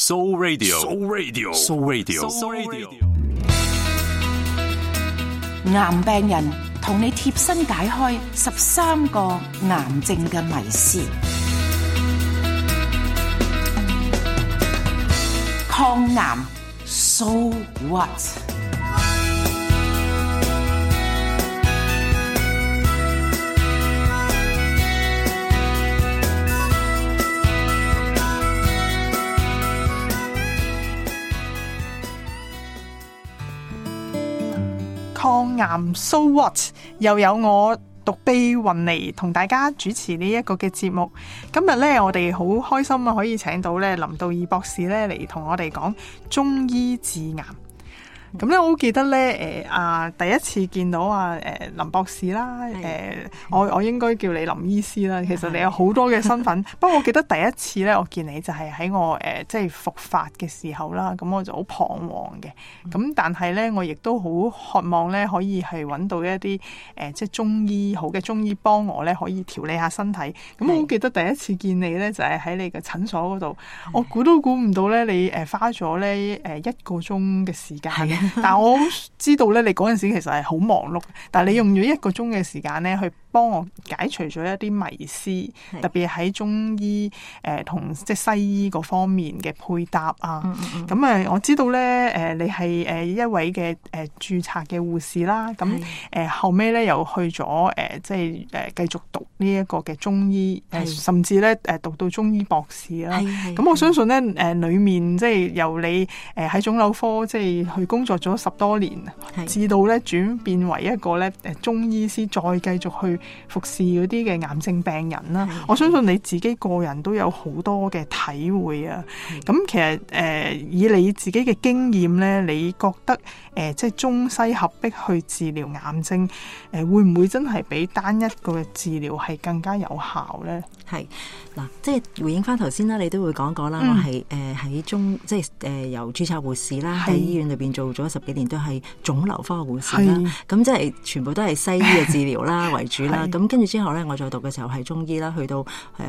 Soul Radio，Soul Radio，Soul Radio，Soul Radio。癌病人同你貼身解開13個癌症嘅迷思。抗癌 So what？ 抗癌 So what？ 又有我獨臂雲尼同大家主持呢一個嘅節目。今日咧，我哋好開心啊，可以請到咧林道義博士咧嚟同我哋講中醫治癌。咁咧，我好記得咧，第一次見到林博士啦，我應該叫你林醫師啦。其實你有好多嘅身份，不過我記得第一次咧，我見你就係喺我即係復發嘅時候啦。咁我就好彷徨嘅。咁但係咧，我亦都好渴望咧，可以係揾到一啲即係中醫好嘅中醫幫我咧，可以調理下身體。咁我好記得第一次見你咧，就係喺你嘅診所嗰度。我估都估唔到咧，你花咗咧1個鐘嘅時間。但我知道咧，你嗰陣時其實係好忙碌，但係你用咗1個鐘嘅時間咧，去幫我解除咗一啲迷思，特別喺中醫同即係西醫嗰方面嘅配搭啊。咁我知道咧，你係一位嘅註冊嘅護士啦。咁後尾咧又去咗即係繼續讀呢一個嘅中醫，甚至咧讀到中醫博士啦。咁我相信咧裡面即係由你喺腫瘤科即係去工作咗10多年，至到咧轉變為一個咧中醫師，再繼續去服侍嗰啲嘅癌症病人啦。我相信你自己個人都有好多嘅體會啊。咁其實以你自己嘅經驗咧，你覺得即係中西合璧去治療癌症，會唔會真係比單一個嘅治療係更加有效咧？係嗱，即係回應翻頭先啦，你都會講過啦。我係喺即係由註冊護士啦，喺醫院裏邊做咗10幾年，都係腫瘤科嘅護士啦。咁即係全部都係西醫嘅治療啦為主啦。咁跟住之後咧，我再讀嘅時候係中醫啦，去到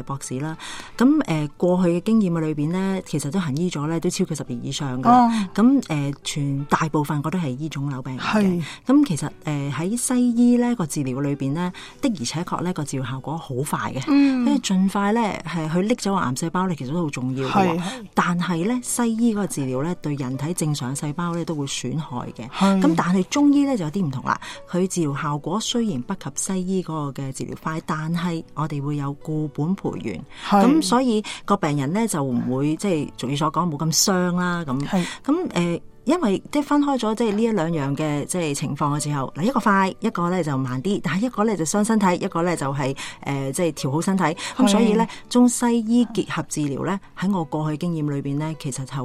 博士啦。咁過去嘅經驗嘅裏邊咧，其實都行醫咗咧，都超過10年以上㗎。咁全大部分我都係醫腫瘤病人嘅。咁其實喺西醫咧個治療裏邊咧，的而且確咧個治療效果好快嘅，因為盡快咧係去拎走個癌細胞咧，其實都好重要嘅。但係咧西醫嗰個治療咧，對人體正常細胞咧都會損害嘅。咁但係中醫咧就有啲唔同啦，佢治療效果雖然不及西醫嗰個嘅治療快，但係我哋會有固本培元，咁所以個病人咧就唔會即係俗語所講冇咁傷啦。咁因為即係分開咗即係呢一兩樣嘅即係情況嘅時候，嗱一個快，一個咧就慢啲，但係一個咧就傷身體，一個咧就係即係調好身體。咁所以咧中西醫結合治療咧，喺我過去經驗裏邊咧，其實就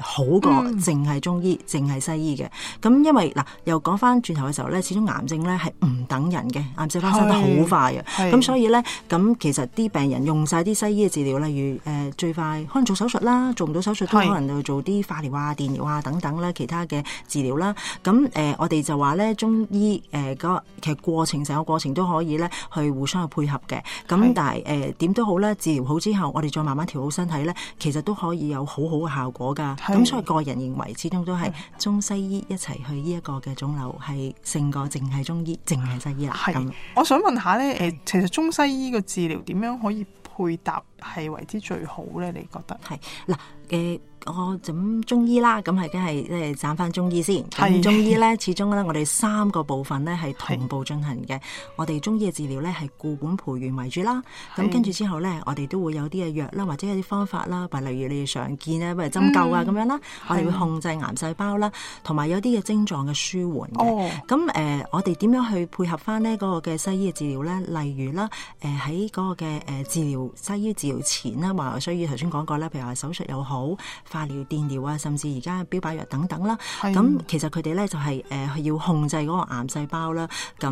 好過淨係中醫、淨係西醫嘅。咁因為嗱又講翻轉頭嘅時候咧，始終癌症咧係唔等人嘅，癌細胞生得好快嘅。咁所以咧咁其實啲病人用晒啲西醫嘅治療，例如最快可能做手術啦，做唔到手術都可能就做啲化療啊、電療啊等等。其他嘅治療啦，咁我哋就話咧中醫其實過程成個過程都可以咧去互相去配合嘅。咁但係點都好咧，治療好之後，我哋再慢慢調好身體咧，其實都可以有好好嘅效果㗎。咁所以個人認為，始終都係中西醫一齊去呢一個嘅腫瘤係勝過淨係中醫、淨係西醫啦。咁我想問下咧，其實中西醫嘅治療點樣可以配搭係為之最好咧？你覺得係嗱我咁中醫啦，咁係梗係即係揀翻中醫先。咁中醫咧，始終咧我哋3個部分咧係同步進行嘅。我哋中醫嘅治療咧係固本培元為主啦。咁跟住之後咧，我哋都會有啲嘅藥啦，或者有啲方法啦，例如你哋常見咧，譬如針灸啊咁樣啦。我哋會控制癌細胞啦，同埋有啲嘅症狀嘅舒緩嘅。咁我哋點樣去配合翻呢嗰個嘅西醫嘅治療咧？例如啦，喺嗰個嘅治療西醫治療前啦，話需要頭先講過咧，譬如話手術又好，化療、電療啊，甚至而家標靶藥等等啦。咁其實佢哋咧就係要控制嗰個癌細胞啦。咁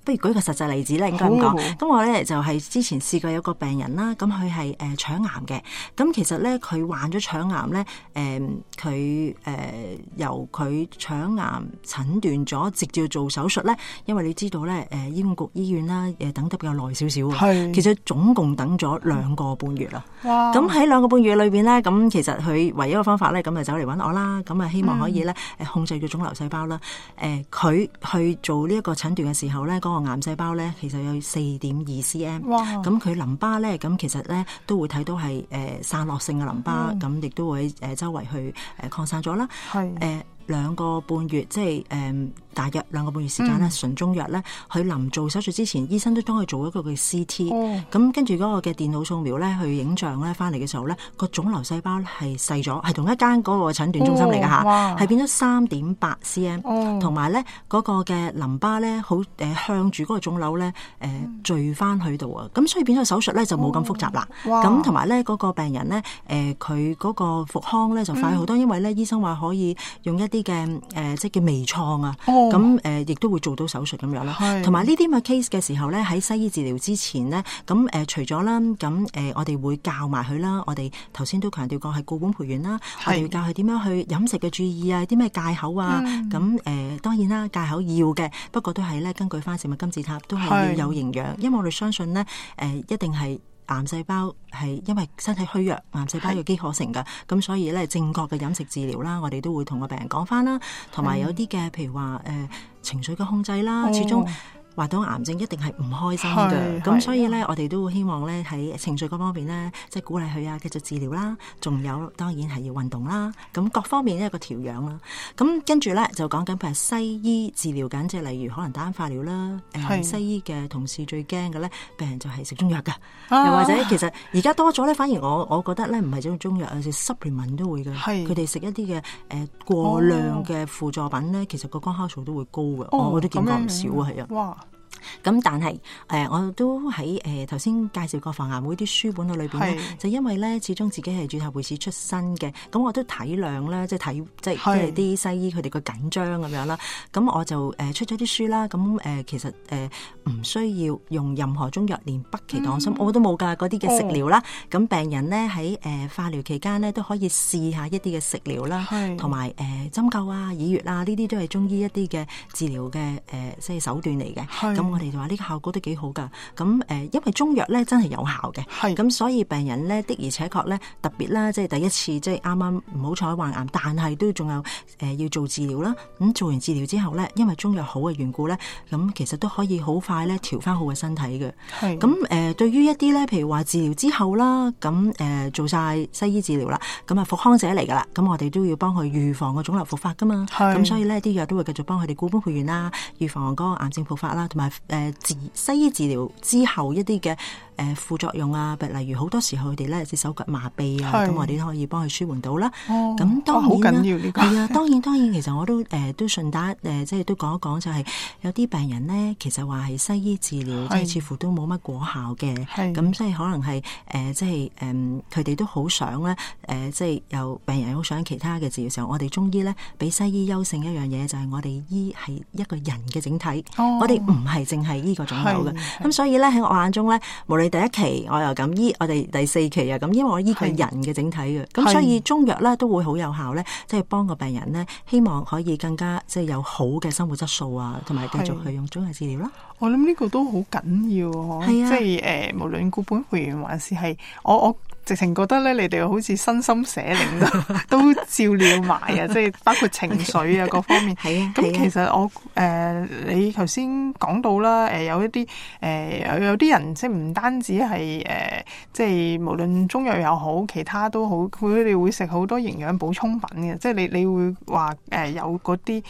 不如舉個實際例子咧，應該咁講。咁我咧就係之前試過有個病人啦，咁佢係腸癌嘅。咁其實咧佢患咗腸癌咧，佢由佢腸癌診斷咗，直接做手術咧，因為你知道咧，醫管局醫院啦，等得比較耐少少。其實總共等咗2個半月啦。咁喺2個半月裏邊咧，咁咁其實佢唯一嘅方法咧，咁就走嚟揾我啦。咁啊，希望可以咧控制個腫瘤細胞啦。佢去做呢一個診斷嘅時候咧，嗰個癌細胞咧其實有4.2 cm。哇！咁佢淋巴咧，咁其實咧都會睇到係散落性嘅淋巴，咁亦都會周圍去擴散咗啦。係2個半月，即係大約2個半月時間咧，純中藥咧，佢臨做手術之前，醫生都幫佢做一個嘅 CT，咁跟住嗰個嘅電腦掃描咧，去影像咧，翻嚟嘅時候咧，個腫瘤細胞係細咗，係同一間嗰個診斷中心嚟㗎嚇，係變咗3.8 cm，同埋咧嗰個嘅淋巴咧，好向住嗰個腫瘤咧聚翻去度啊，咁所以變咗手術咧就冇咁複雜啦。咁同埋咧嗰個病人咧，佢嗰個復康咧就快好多，因為咧醫生話可以用一啲嘅即係叫微創啊，咁亦都會做到手術咁樣啦。同埋呢啲咁嘅 case 嘅時候咧，喺西醫治療之前咧，咁除咗啦，咁我哋會教埋佢啦。我哋頭先都強調過係固本培元啦，我哋會教佢點樣去飲食嘅注意啊，啲咩戒口啊。咁當然啦，戒口要嘅，不過都係咧根據翻食物金字塔，都係要有營養，因為我哋相信咧一定係。癌細胞係因為身體虛弱，癌細胞有機可乘㗎，咁所以咧正確嘅飲食治療啦，我哋都會同個病人講翻啦，同埋有啲嘅譬如話情緒嘅控制啦，始終。話到癌症一定係唔開心嘅，咁所以咧，我哋都會希望咧喺情緒嗰方面咧，即係鼓勵佢啊，繼續治療啦，仲有當然係要運動啦，咁各方面一個調養啦。咁跟住咧就講緊譬如西醫治療緊，即係例如可能打化療啦。西醫嘅同事最驚嘅咧，病人就係食中藥㗎，又或者其實而家多咗咧，反而我覺得咧唔係種中藥，有時 supplement 都會嘅，佢哋食一啲嘅過量嘅輔助品咧，其實個光酵素都會高嘅，我都見過唔少啊，係啊。咁但係我都喺頭先介紹過防癌會啲書本裏邊咧，就因為咧始終自己係註冊會士出身嘅，咁我都體諒咧，即係啲西醫佢哋個緊張咁樣啦。咁我就出咗啲書啦。咁其實唔需要用任何中藥，連北芪黨參我都冇㗎，嗰啲嘅食療啦。咁病人咧喺化療期間咧都可以試下一啲嘅食療啦，同埋針灸啊、耳穴啊，呢啲都係中醫一啲嘅治療嘅即係手段嚟嘅。咁我哋就話呢個效果都幾好㗎。咁因為中藥咧真係有效嘅，咁所以病人咧的而且確咧特別啦，即係第一次即係啱啱唔好彩患癌，但係都仲有要做治療啦。咁做完治療之後咧，因為中藥好嘅緣故咧，咁其實都可以好快咧調翻好嘅身體嘅。咁對於一啲咧，譬如話治療之後啦，咁做晒西醫治療啦，咁啊復康者嚟㗎啦，咁我哋都要幫佢預防個腫瘤復發㗎嘛。咁所以咧啲藥都會繼續幫佢哋固本培元啦，預防嗰個癌症復發啦，同埋西醫治療之後一啲嘅副作用啊，例如好多時候佢哋咧隻手腳麻痹啊，咁我哋都可以幫佢舒緩到啦。咁當然好緊要呢個係啊，當然，其實我都順帶即係都講一講，就係有啲病人咧，其實話係西醫治療，即係似乎都冇乜果效嘅。咁即係可能係即係佢哋都好想咧即係有病人好想其他嘅治療時候，我哋中醫咧比西醫優勝一樣嘢，就係我哋醫係一個人嘅整體，我哋唔係淨係醫個腫瘤嘅。咁所以咧喺我眼中咧，無論第一期我又咁醫，我哋第4期又咁，因為我醫佢人嘅整體嘅，咁所以中藥咧都會好有效咧，即係幫個病人咧，希望可以更加即係有好嘅生活質素啊，同埋繼續去用中藥治療啦。我諗呢個都好緊要，即係無論固本培元還是係我直情覺得咧，你哋好似身心社靈都照料埋啊，即係包括情緒啊各方面。咁其實我你頭先講到啦，有一啲有啲人即係唔單止係即係無論中藥又好，其他都好，佢哋會食好多營養補充品嘅，即係你會話有嗰啲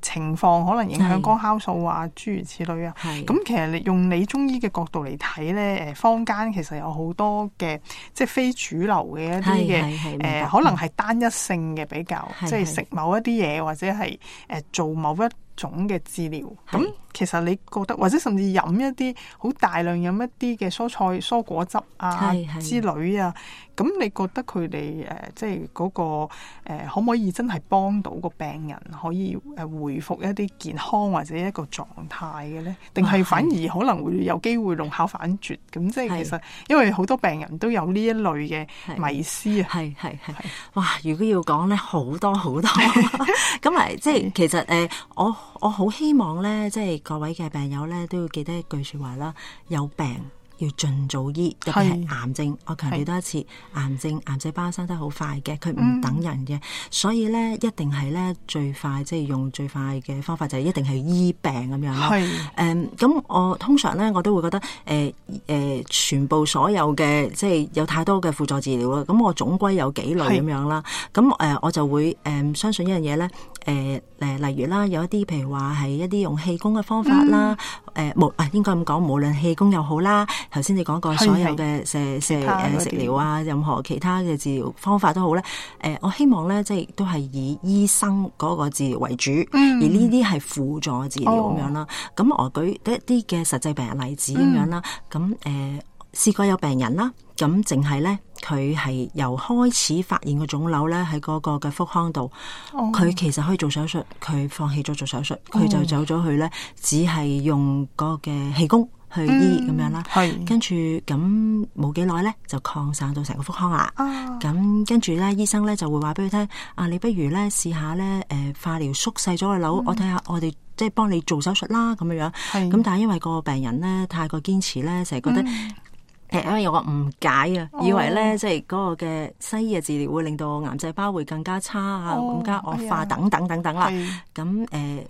情況可能影響光酵素啊，諸如此類啊。咁其實你用你中醫嘅角度嚟睇咧，坊間其實有好多嘅即係非主流嘅一啲嘅可能係單一性嘅比較，即係食某一啲嘢或者係做某一種嘅治療。咁其實你覺得或者甚至飲一啲好大量飲一啲嘅蔬菜蔬果汁啊之類啊，咁你覺得佢哋即係嗰個可唔可以真係幫到個病人可以回復一啲健康或者一個狀態嘅咧？定係反而可能會有機會弄巧反拙？咁即係其實因為好多病人都有呢一類嘅迷思啊。係哇！如果要講咧，好多咁嚟，即係其實我好希望咧，即係各位嘅病友咧都要記得一句說話啦：有病要盡早醫，特別係癌症。我強調多一次，癌症癌細胞生得好快嘅，佢唔等人嘅，所以咧一定係咧最快，即係用最快嘅方法就係一定係醫病咁樣啦。咁我通常咧我都會覺得全部所有嘅即係有太多嘅輔助治療啦，咁我總歸有幾類咁樣啦。咁我就會相信一樣嘢咧，例如啦，有一啲譬如話係一啲用氣功嘅方法啦，應該咁講，無論氣功又好啦，頭先你講過所有嘅食療啊，任何其他嘅治療方法都好咧。我希望咧即係都係以醫生嗰個治療為主，而呢啲係輔助治療咁樣啦。咁我舉一啲嘅實際病人例子咁樣啦。咁試過有病人啦，咁淨係咧佢係由開始發現個腫瘤咧喺嗰個嘅腹腔度，佢其實可以做手術，佢放棄咗做手術，佢就走咗去咧，只係用嗰個嘅氣功去醫咁樣啦。跟住咁冇幾耐咧就擴散到成個腹腔啦。咁跟住咧醫生咧就會話俾佢聽，你不如咧試下咧化療縮細咗個瘤，我睇下我哋即係幫你做手術啦咁樣。咁但係因為個病人咧太過堅持咧，成日覺得因為有個誤解啊，以為咧即係嗰個嘅西醫嘅治療會令到癌細胞會更加差啊，更加惡化等等等等啦。咁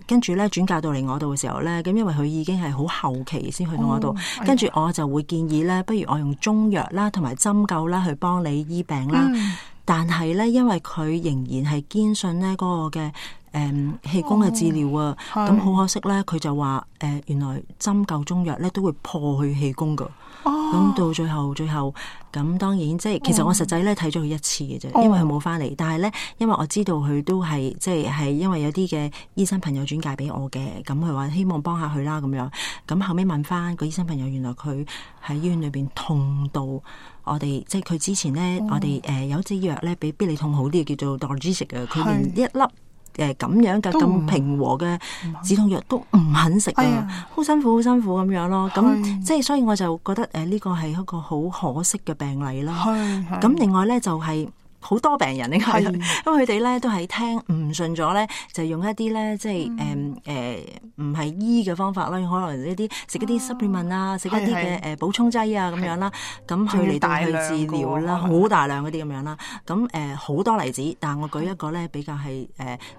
跟住咧轉介到嚟我度嘅時候咧，咁因為佢已經係好後期先去到我度，跟住我就會建議咧，不如我用中藥啦同埋針灸啦去幫你醫病啦。但係咧，因為佢仍然係堅信咧嗰個嘅氣功嘅治療啊，咁好可惜咧，佢就話原來針灸中藥咧都會破佢氣功噶。咁到最後咁當然即係其實我實際咧睇咗佢一次嘅啫，因為佢冇翻嚟。但係咧，因為我知道佢都係即係因為有啲嘅醫生朋友轉介俾我嘅，咁佢話希望幫下佢啦咁樣。咁後尾問翻個醫生朋友，原來佢喺醫院裏邊痛到我哋即係佢之前咧，我哋有支藥咧比必理痛好啲嘅，叫做 Dorjix 嘅，佢連一粒咁樣嘅咁平和嘅止痛藥都唔肯食啊，好辛苦咁樣咯。咁即係所以我就覺得呢個係一個好可惜嘅病例啦。咁另外咧就係好多病人因為佢哋咧都係聽唔順咗咧，就用一啲咧即係唔係醫嘅方法啦，可能食一啲 supplement 啊，食一啲嘅補充劑啊咁樣啦，咁去嚟到去治療啦，好大量嗰啲咁樣啦。咁好多例子，但係我舉一個咧比較係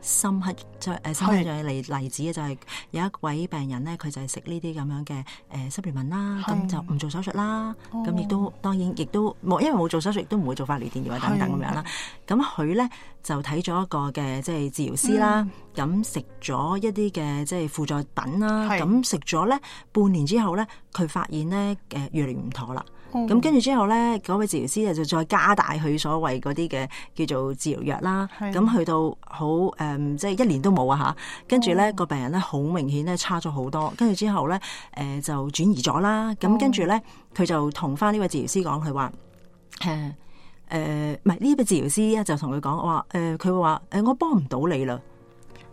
深刻嘅例子嘅，就係有一位病人咧，佢就係食呢啲咁樣嘅supplement啦，咁就唔做手術啦，咁亦都當然亦都冇，因為冇做手術，亦都唔會做化療、電療等等咁樣啦。咁佢咧就睇咗一個嘅即係治療師啦，咁食咗一啲嘅即係輔助品啦，咁食咗咧半年之後咧，佢發現咧越嚟越唔妥啦。咁跟住之後咧，嗰位治療師就再加大佢所謂嗰啲嘅叫做治療藥啦。咁去到好即係1年都冇啊嚇。跟住咧個病人咧好明顯咧差咗好多。跟住之後咧就轉移咗啦。咁跟住咧佢就同翻呢位治療師講，佢話唔係呢位治療師咧就同佢講話佢會話我幫唔到你啦，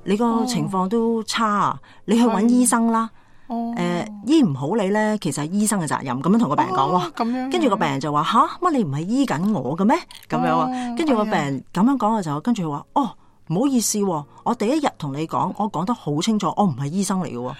你個情況都差，你去揾醫生啦。醫唔好你咧，其實係醫生嘅責任。咁樣同個病人講，跟住個病人就話吓，乜你唔係醫緊我嘅咩？咁樣，跟住個病人咁樣講嘅時候，跟住佢話唔好意思，我第一日同你講，我講得好清楚，我唔係醫生嚟嘅。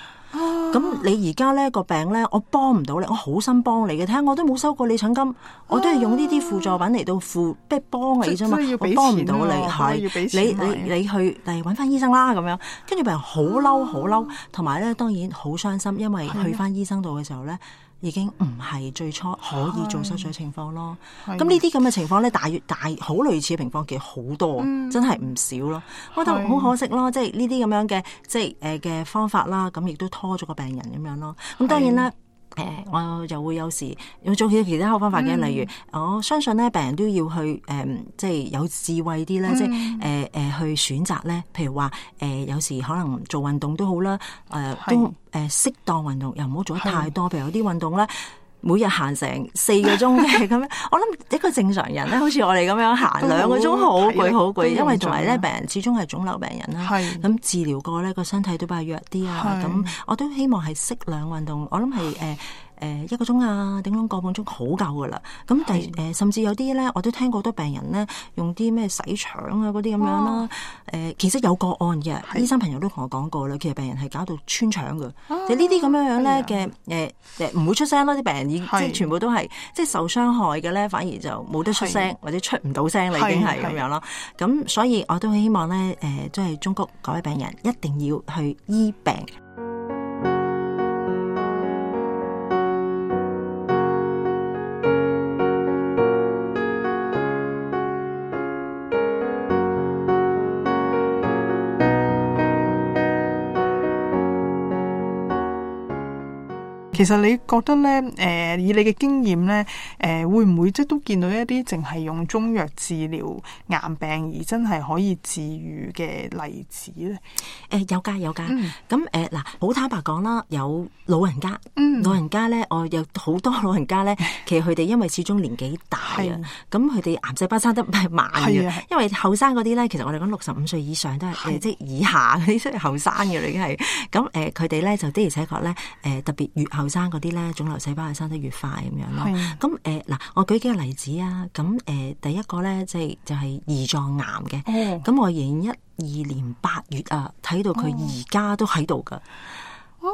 咁你而家咧個病咧，我幫唔到你，我好心幫你嘅，睇下我都冇收過你診金，我都係用呢啲輔助品嚟到即係幫你啫嘛，我幫唔到你，係你去嚟搵翻醫生啦咁樣。跟住病人好嬲，同埋咧當然好傷心，因為去翻醫生度嘅時候咧，已經唔係最初可以做手術嘅情況咯。咁呢啲咁嘅情況咧，大好類似嘅情況其實好多，真係唔少咯。我覺得好可惜咯，即係呢啲咁樣嘅即係嘅方法啦，咁亦都拖咗個病人咁樣咯。咁當然啦。我就會有時要做其他方法嘅，例如我相信咧，病人都要去即係有智慧啲咧，即係去選擇咧。譬如話有時可能做運動都好啦，都適當運動，又唔好做得太多。譬如有啲運動咧，每日行成4個鐘嘅咁樣，我諗一個正常人咧，好似我哋咁樣行2個鐘，好攰，因為同埋咧病人始終係腫瘤病人啦，咁治療過咧個身體都比較弱啲啊，咁我都希望係適量運動，我諗係1個鐘啊，頂籠個半鐘好夠噶啦。咁甚至有啲咧，我都聽過好多病人咧用啲咩洗腸啊嗰啲咁樣啦。其實有個案嘅，醫生朋友都同我講過啦，其實病人係搞到穿腸嘅。就呢啲咁樣咧嘅唔會出聲咯，啲病人即係全部都係即係受傷害嘅咧，反而就冇得出聲或者出唔到聲啦，已經係咁樣咯。咁所以我都希望咧即係忠告各位病人一定要去醫病。其實你覺得咧，以你嘅經驗咧，會唔會即係都見到一啲淨係用中藥治療癌病而真係可以治癒嘅例子咧？有㗎。咁嗱，好坦白講啦，有老人家，老人家咧，我有好多老人家咧，其實佢哋因為始終年紀大啊，咁佢哋癌細胞生得慢嘅，因為後生嗰啲咧，其實我哋講65歲以上都係即係以下嗰啲，即係後生嘅已經係。咁佢哋咧就的而且確咧，特別越後生嗰啲咧，腫瘤細胞係生得越快咁樣咯。咁嗱，我舉幾個例子啊。咁第一個咧，就係胰臟癌嘅。咁我2012年8月啊，睇到佢而家都喺度噶。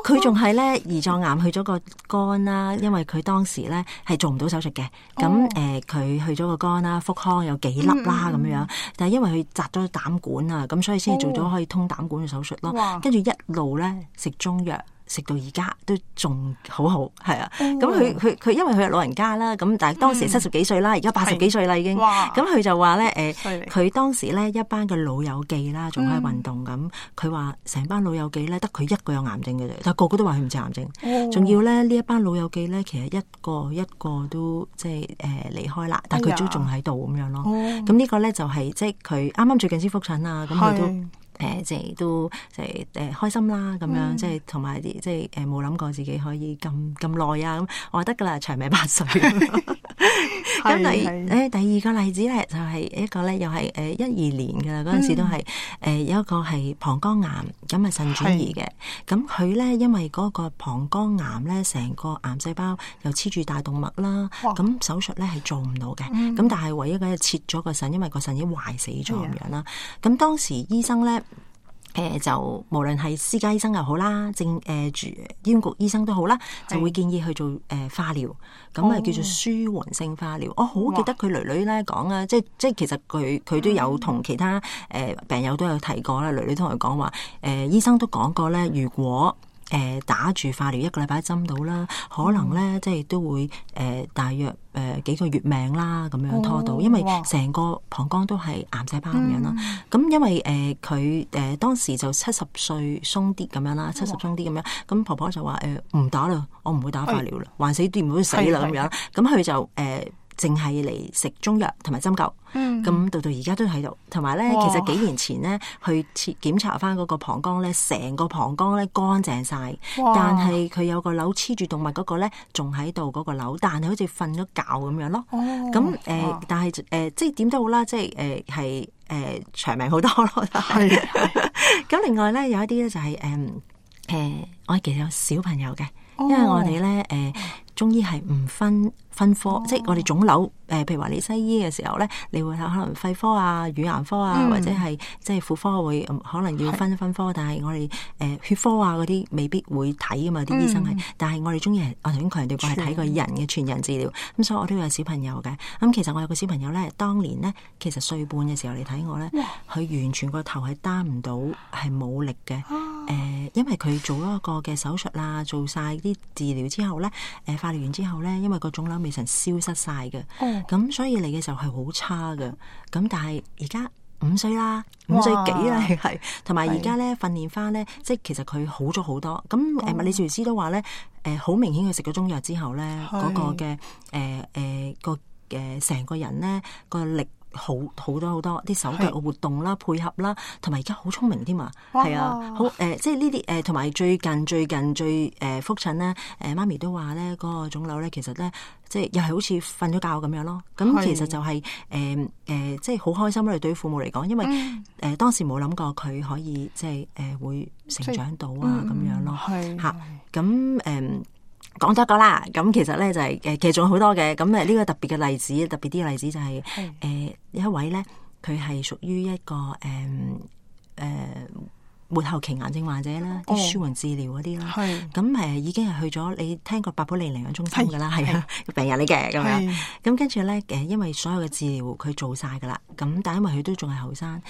佢仲係咧胰臟癌去咗個肝啦，因為佢當時咧係做唔到手術嘅。咁佢去咗個肝啦，腹腔有幾粒啦咁樣。但係因為佢摘咗膽管啊，咁所以先做咗可以通膽管嘅手術咯。跟住一路咧食中藥。食到而家都仲好，係啊！咁佢因為佢係老人家啦，咁但係當時70幾歲啦，而家80幾歲啦已經。咁佢就話咧，佢當時咧一班嘅老友記啦，仲喺運動咁。佢話成班老友記咧，得佢一個有癌症嘅啫，但係個個都話佢唔似癌症。仲要咧呢一班老友記咧，其實一個都即係離開啦，但係佢都仲喺度咁樣咯。咁呢個咧就係即係佢啱啱最近先復診啊，咁佢都。即係都即係開心啦，咁樣即係同埋啲即係冇諗過自己可以咁耐啊！咁我話得噶啦，長命百歲。咁第二個例子咧，就係一個咧，又係12年噶啦，嗰陣時都係有一個係膀胱癌，咁係腎轉移嘅。咁佢咧因為嗰個膀胱癌咧，成個癌細胞又黐住大動脈啦，咁手術咧係做唔到嘅。咁但係唯一嘅切咗個腎，因為個腎已經壞死咗咁樣啦。咁當時醫生咧。就無論係私家醫生又好啦，醫管局醫生都好啦，就會建議去做化療，咁叫做舒緩性化療。我好記得佢女咧講啊，即係其實佢都有同其他病友都有提過啦。女同佢講話，醫生都講過咧，如果打住化療1個禮拜針到啦，可能咧即係都會大約幾個月命啦，咁樣拖到，因為成個膀胱都係癌細胞咁樣啦。咁因為佢當時就70歲鬆啲咁樣啦，70鬆啲咁樣。咁婆婆就話唔打啦，我唔會打化療啦，還死掂唔會死啦咁樣。咁佢就淨係嚟食中藥同埋針灸，咁到而家都喺度。同埋咧，其實幾年前咧去檢查翻嗰個膀胱咧，成個膀胱咧乾淨晒，但係佢有個瘤黐住動脈嗰個咧仲喺度嗰個瘤，但係好似瞓咗覺咁樣咯。咁但係即係點都好啦，即係係長命好多咯。係。咁另外咧有一啲咧就係我其實有小朋友嘅，因為我哋咧中醫係唔分科，即係我哋腫瘤譬如話你西醫嘅時候咧，你會可能肺科啊、乳癌科啊，或者係即係婦科會可能要分科，但係我哋血科啊嗰啲未必會睇噶嘛，啲醫生係。但係我哋中醫係我頭先強調過係睇個人嘅全人治療，咁所以我都有小朋友嘅。咁其實我有個小朋友咧，當年咧其實歲半嘅時候嚟睇我咧，佢完全個頭係擔唔到，係冇力嘅。因為佢做咗一個嘅手術啦，做晒啲治療之後咧，化療完之後咧，因為個腫瘤未曾消失晒嘅，咁所以嚟嘅時候係好差嘅。咁但係而家5歲啦，5歲幾啦，係同埋而家咧訓練翻咧，即係其實佢好咗好多。咁物理治療師都話咧，好明顯佢食咗中藥之後咧，嗰個嘅成個人咧個力。好多啲手腳嘅活動啦、配合啦，同埋而家好聰明添啊！係啊，好即係呢啲同埋最近最復診咧，媽咪都話咧嗰個腫瘤咧，其實咧即係又係好似瞓咗覺咁樣咯。咁其實就係即係好開心啦！對於父母嚟講，因為當時冇諗過佢可以即係會成長到啊咁樣咯嚇。咁講咗個啦，咁其實咧就係其實仲有好多嘅，咁呢個特別嘅例子，特別啲嘅例子就係有一位咧，佢係屬於一個末後期癌症患者啦，啲舒緩治療嗰啲啦，咁已經係去咗你聽過百寶莉領養中心噶啦，係啊，病人嚟嘅咁樣，咁跟住咧因為所有嘅治療佢做晒噶啦，咁但係因為佢都仲係後生，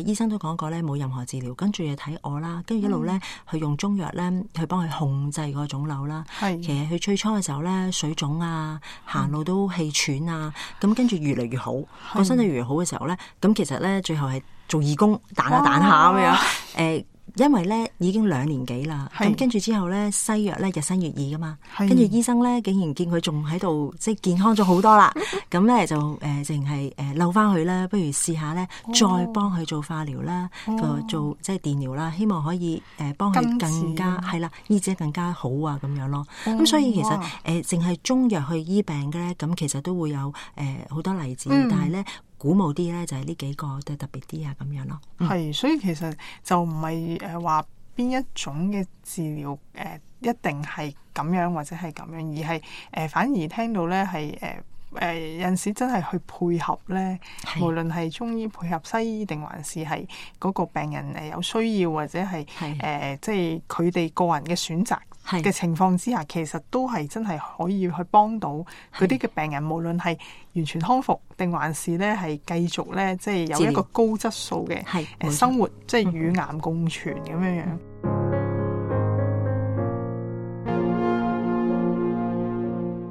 醫生都講過咧冇任何治療，跟住又睇我啦，跟住一路咧去用中藥咧去幫佢控制個腫瘤啦，其實佢最初嘅時候咧水腫啊，行路都氣喘啊，咁跟住越嚟越好，個身體越嚟越好嘅時候咧，咁其實咧最後係做義工彈下彈下咁樣，因為咧已經2年幾啦，咁跟住之後咧西藥咧日新月異噶嘛，跟住醫生咧竟然見佢仲喺度即係健康咗好多啦，咁咧就淨係溜翻佢啦，不如試下咧再幫佢做化療啦，做即係電療啦，希望可以幫佢更加係啦醫治得更加好啊咁樣咯。咁所以其實淨係中藥去醫病嘅咧，咁其實都會有好多例子，但係咧鼓舞啲咧就係呢幾個都特別啲啊咁樣咯。係，所以其實就唔係話邊一種嘅治療一定係咁樣或者係咁樣，而係反而聽到咧係有陣時真係去配合咧，無論係中醫配合西醫定還是係嗰個病人有需要或者係即係佢哋個人嘅選擇嘅情況之下，其實都係真係可以去幫到嗰啲嘅病人，無論係完全康復定還是咧係繼續咧即係有一個高質素嘅生活，即係與癌共存咁樣樣。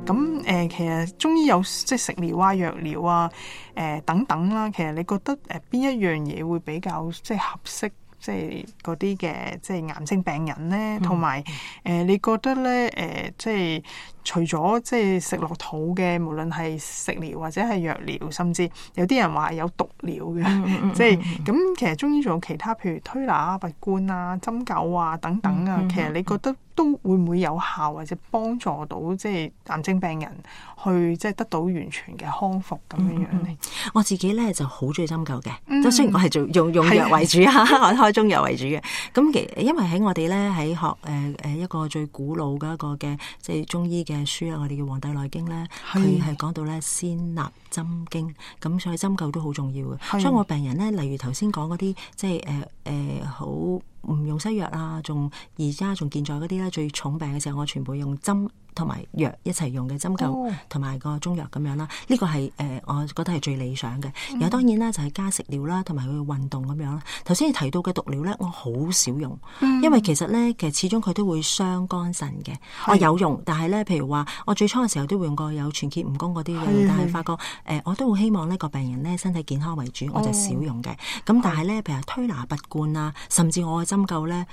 咁其實中醫有即係食療啊、藥療啊、等等啦。其實你覺得邊一樣嘢會比較即係合適？即係嗰啲嘅即係癌症病人咧，同埋你覺得咧即係除咗即係食落肚嘅，無論係食療或者係藥療，甚至有啲人話有毒療嘅，即係咁。其實中醫仲有其他，譬如推拿啊、拔罐啊、針灸啊等等啊。其實你覺得都會唔會有效，或者幫助到即係癌症病人去即係得到完全嘅康復咁樣樣咧？我自己咧就好中意針灸嘅，即雖然我係做用藥為主啊，我開中藥為主嘅。咁因為喺我哋咧喺學一個最古老嘅一個嘅即係中醫嘅書啦，我哋叫《黃帝內經》咧，佢係講到咧先立針經，咁所以針灸都好重要嘅。所以我病人咧，例如頭先講嗰啲即係好唔用西藥啊，而家仲健在嗰啲咧，最重病嘅時候，我全部用針同埋藥一齊用嘅，針灸同埋個中藥咁樣啦。呢個係我覺得係最理想嘅。然後當然啦，就係加食療啦，同埋佢運動咁樣啦。頭先你提到嘅毒療咧，我好少用，因為其實始終佢都會傷肝腎嘅。我有用，但係咧，譬如話我最初嘅時候都會用過有全結蜈蚣嗰啲嘅，但係發覺我都好希望呢個病人咧身體健康為主，我就少用嘅。咁但係咧，譬如推拿拔罐啊，甚至我嘅針灸咧，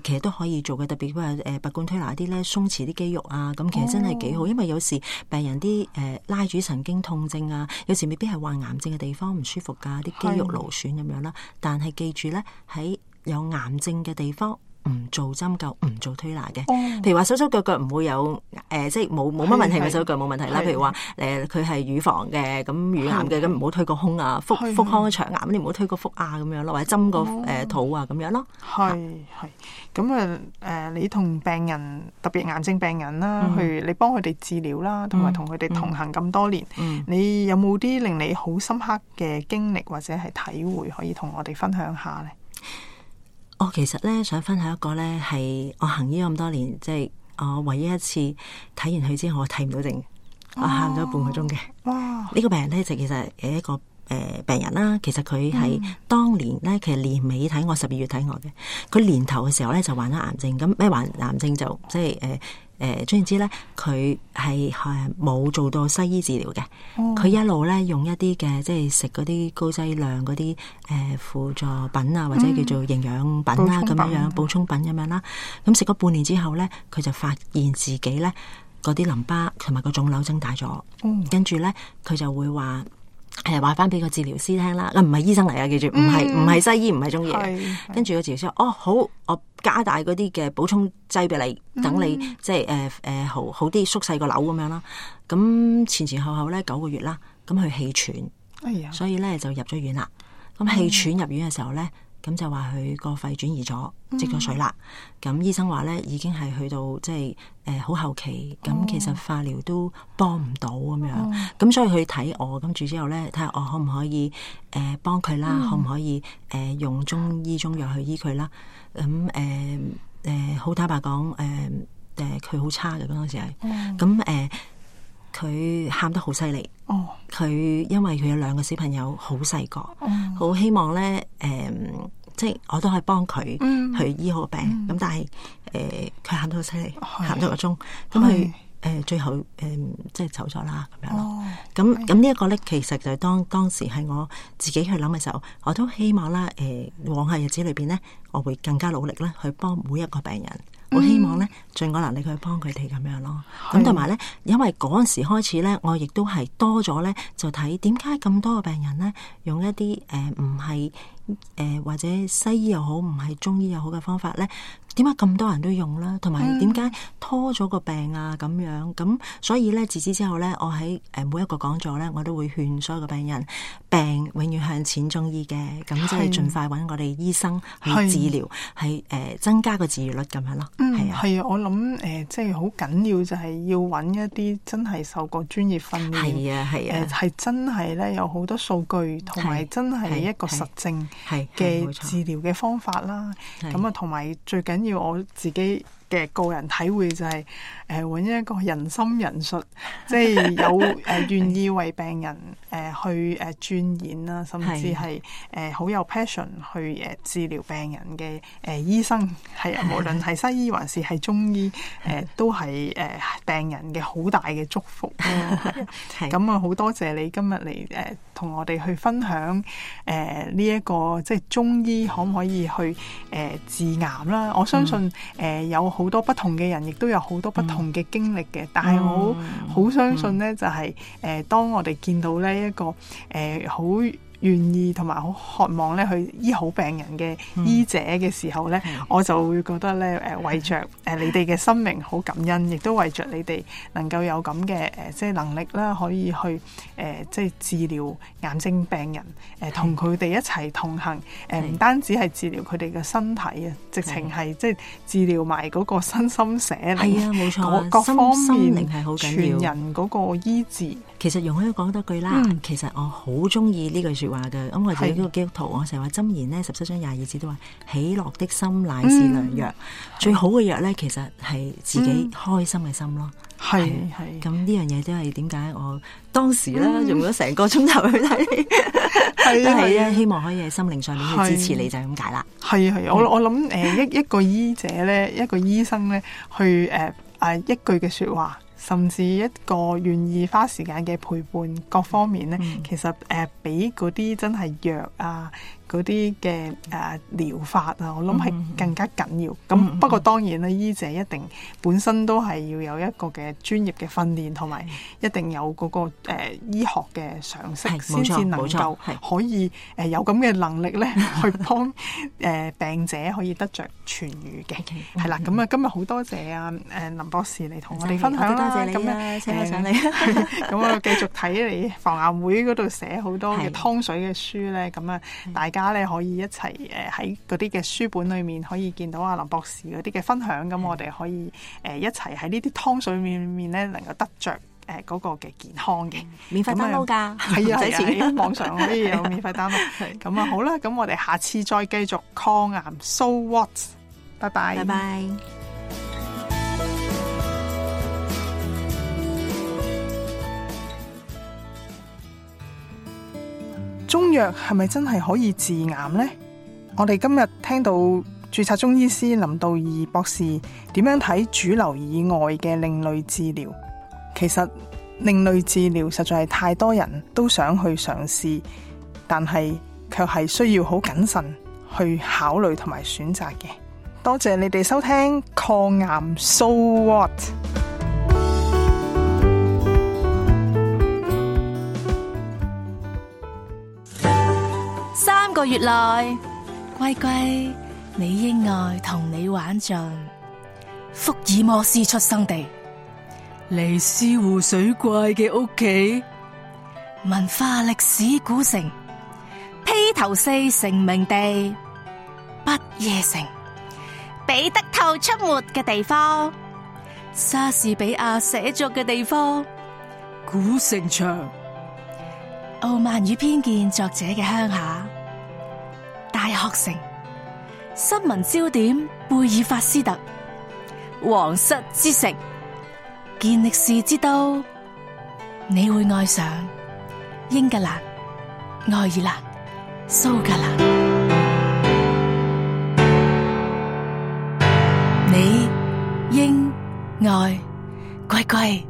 其實都可以做嘅。特別係拔罐推拿啲咧，鬆弛啲肌肉啊，咁其實真係幾好。因為有時病人啲拉主神經痛症啊，有時未必係患癌症嘅地方唔舒服㗎，啲肌肉勞損咁樣啦。但係記住咧，喺有癌症嘅地方，唔做針灸，唔做推拿嘅。譬如話手手腳腳唔會有即係冇乜問題嘅手腳冇問題啦。譬如話佢係乳房嘅，咁乳癌嘅，咁唔好推個胸啊，腹腔腸癌你唔好推個腹啊咁樣咯，或者針個肚啊咁樣咯。係咁你同病人特別癌症病人啦，你幫佢哋治療啦，同埋同佢哋同行咁多年，你有冇啲令你好深刻嘅經歷或者係體會可以同我哋分享下咧？我其實咧想分享一個咧係我行醫咁多年，即係我唯一一次睇完佢之後我睇唔到症，我喊咗半個鐘嘅。哇！呢個病人咧就其實係一個病人啦。其實佢係當年咧，其實年尾睇我，12月睇我嘅。佢年頭嘅時候咧就患咗癌症，咁咩患癌症就即係總言之咧，佢係冇做到西醫治療嘅。佢一路咧用一啲嘅即係食嗰啲高劑量嗰啲輔助品啊，或者叫做營養品啦咁樣補充品咁樣啦。咁食咗半年之後咧，佢就發現自己咧嗰啲淋巴同埋個腫瘤增大咗。跟住咧佢就會話話翻俾個治療師聽啦，唔係醫生嚟啊，記住唔係西醫，唔係中醫。跟住個治療師話：好，我加大嗰啲嘅補充劑俾你，等你即係好啲縮細個瘤咁樣啦。咁前後咧9個月啦，咁佢氣喘，所以咧就入咗院啦。咁氣喘入院嘅時候咧，咁就話佢個肺轉移咗，積咗水啦。咁醫生話咧已經係去到即係好後期，咁其實化療都幫唔到咁樣。咁所以佢睇我，跟住之後咧睇下我可唔可以幫佢啦，可唔可以用中醫中藥去醫佢啦。咁好坦白講，佢好差嘅嗰陣時係，咁佢喊得好犀利。佢因為佢有2個小朋友，好細個，好希望咧即係我都可以幫佢去醫好個病。咁但係佢喊得好犀利，喊咗個鐘，咁佢最後即係走咗啦咁樣咯。咁呢一個咧，其實就係當時係我自己去諗嘅時候，我都希望啦，往後日子裏邊咧，我會更加努力咧去幫每一個病人。我希望咧盡我能力去幫佢哋咁樣咯。咁同埋咧，因為嗰陣時開始咧，我亦都係多咗咧，就睇點解咁多個病人咧用一啲唔係或者西醫又好，唔係中醫又好嘅方法咧，點解咁多人都用啦？同埋點解拖咗個病啊咁樣？咁所以咧，自此之後咧，我喺每一個講座咧，我都會勸所有嘅病人，病永遠向淺中醫嘅，咁即係盡快揾我哋醫生去治療，係增加個治癒率咁樣咯。係啊，我諗即係好緊要就係要揾一啲真係受過專業訓練，係真係咧有好多數據，同埋真係一個實證嘅治療嘅方法啦。咁啊，同埋最緊要我自己嘅個人體會就係揾一個人心仁術，即係有願意為病人去鑽研啦，甚至係好有 passion 去治療病人嘅醫生，係啊，無論係西醫還是係中醫，都係病人嘅好大嘅祝福咯。咁啊，好多謝你今日嚟同我哋去分享呢一個即係中醫可唔可以去治癌啦？我相信有好多不同嘅人，亦都有好多不同嘅經歷嘅。但係我好相信呢，就係當我哋見到呢一個好願意同埋好渴望咧去醫好病人嘅醫者嘅時候咧，我就會覺得咧為着你哋嘅生命好感恩，亦都為着你哋能夠有咁嘅即係能力啦，可以去即係治療癌症病人，同佢哋一齊同行，唔單止係治療佢哋嘅身體啊，直情係即係治療埋嗰個身心社靈，係啊，冇錯，各方面係好緊要，全人嗰個醫治。其實容許講多句啦，其實我好中意呢句說話嘅。咁我自己呢個基督徒，我成日話箴言呢17章22節都話，喜樂的心乃是良藥。最好嘅藥咧，其實係自己開心嘅心咯。係咁呢樣嘢都係點解我當時咧用咗成個鐘頭去睇，都係咧希望可以喺心靈上面去支持你，就係咁解啦。係我諗一個醫者咧，一個醫生咧，去一句嘅說話，甚至一個願意花時間嘅陪伴，各方面咧，其實比嗰啲真係藥啊，嗰啲嘅療法啊，我諗係更加緊要。咁不過當然啦，醫者一定本身都係要有一個嘅專業嘅訓練，同埋一定有嗰個醫學嘅常識，先至能夠可以有咁嘅能力咧，去幫病者可以得着痊愈嘅。係啦，咁啊今日好多謝啊林博士嚟同我哋分享啦。多謝你啊，請我上嚟。咁我繼續睇你防癌會嗰度寫好多嘅湯水嘅書咧，咁啊大家咧可以一齊喺嗰啲嘅書本裏面可以見到阿林博士嗰啲嘅分享，咁我哋可以一齊喺呢啲湯水面咧能夠得着嗰個嘅健康嘅，免費 download 㗎，係啊，係啊，網上可以有免費 download。咁啊好啦，咁我哋下次再繼續抗癌 So What， 拜拜，拜拜。中藥係咪真係可以治癌呢？我哋今日聽到註冊中醫師林道義博士點樣睇主流以外嘅另類治療。其實另類治療實在係太多人都想去嘗試，但係卻係需要好謹慎去考慮同埋選擇嘅。多謝你哋收聽抗癌 So What。3個月內，乖乖，你應愛同你玩盡福爾摩斯出生地，尼斯湖水怪嘅屋企，文化歷史古城，披頭四成名地，不夜城，彼得兔出沒嘅地方，莎士比亞寫作嘅地方，古城牆，傲慢與偏見作者嘅鄉下，大學城，新聞焦點貝爾法斯特，皇室之城，健力士之都，你會愛上英格蘭、愛爾蘭、蘇格蘭。你應愛歸歸。